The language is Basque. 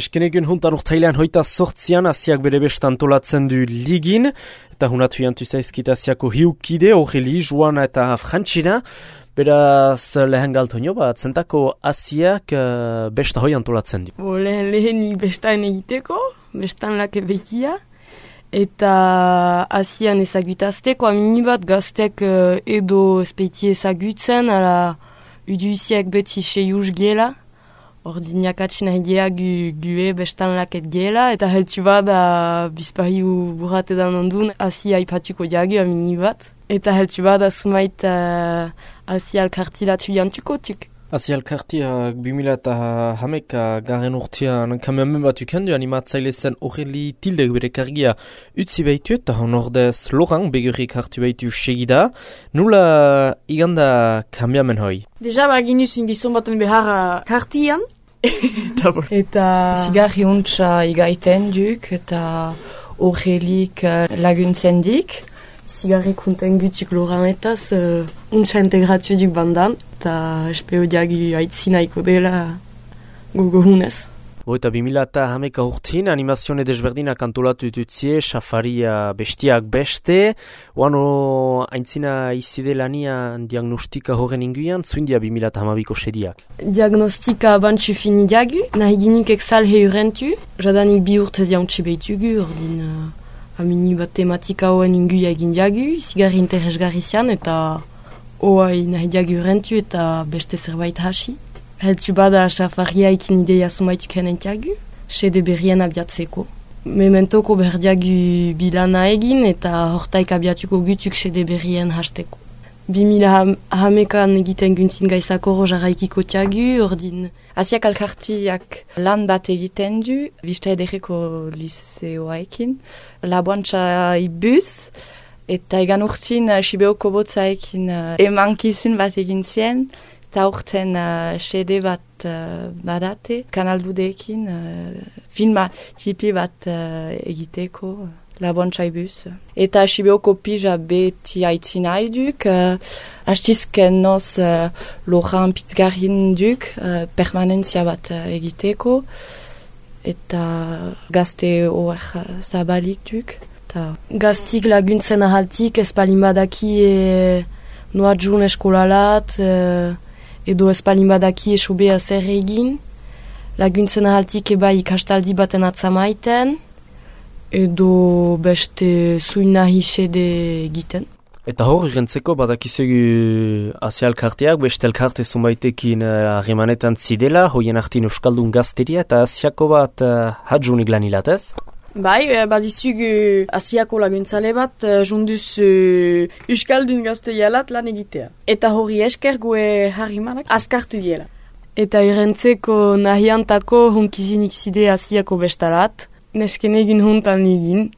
Eskenegun huntan urtailean hoita sortzian Asiak bere besta antolatzen du ligin, eta hunatu jantu zaizkit Asiako hiukide, Aureli, Joana eta Frantxina. Beraz lehen galtoino bat, zentako Asiak besta hoi antolatzen du. Lehenik bestaan egiteko, bestaan lake bekia, eta Asian ezagutazteko, amini bat gaztek edo espeiti ezagutzen, ala uduiziak beti seiuz gela. Ordinak atxina hedea gue bestan laket gela, eta heltsu bat bizpahiu burratedan ondun Asia ipatuko jagu amini bat. Eta heltsu bat sumait Asia alkartilatu jantukotuk. Asia alkartiak 2011 garen urtean kameamen bat ukendu animatzaile zen Aureli Tildek bere kargia utzi behitu eta honordez Laurent begurrik hartu behitu segida. Nula iganda kameamen hoi? Deja baginuz ingizon baten behar kartian. Eta zigarri huntza igaiten duk eta Aurelik laguntzen dik. Zigarri kunten gutik Laurentaz huntza integratu duk bandan. Eta espeo diagi aitzinaiko dela gogohunez. Eta 2011 urtin animazione desberdinak antolatu ditutzie, safaria bestiak beste. Oano aintzina izidelania diagnostika horren inguian, zuindia 2012ko sediak. Diagnostika bantxu fini diagu, nahi ginik eksal heurentu. Jadanik bi urtez jauntxe behitugu, ordin amini bat tematika hoen inguia egin diagu, zigarri interesgarri zian eta oai nahi diagu heurentu eta beste zerbait hasi. Heltsu bada safaria ikin ideia sumaituk henentiagu, sede berrien abiatzeko. Mementoko berdiagu bilana egin eta hortaik abiatuko gutuk sede berrien hasteko. 2011an egiten guntzin gaizakoro jarraikiko tiagu, ordin Asiak alkartiak lan bat egiten du, Vista ederreko liseoaekin, laboantza ibuz, eta egan urtin Sibeoko botzaekin emankizun bat egin zien, eta urten sede bat badate, kanaldudeekin filma tipi bat egiteko laboantza ibuz. Eta Sibeoko pija beti aitzin haiduk, hastizken noz Laurent pitzgarrin duk, permanentzia bat egiteko, eta gazte hor zabalik duk. Gaztik laguntzen ahaltik espalin badaki noa jun eskolalat, edo espalin badaki esobea zer egin, laguntzen ahaltik eba ikastaldi baten atzamaiten, edo beste zuina hisede egiten. Eta hor irentzeko badakizegu Asia elkarteak, beste elkarte zunbaitekin harremanetan zidela, hoien artin euskaldun gazteria eta Asiako bat hadjunik lanilat ez? Bai, badizugu Asiako laguntzale bat junduz euskaldun gazteialat lan egitea. Eta hori esker gue harrimanak askartu diela. Eta irentzeko nahiantako hunkizinik zide Asiako bestalat, nesken egin huntan egin,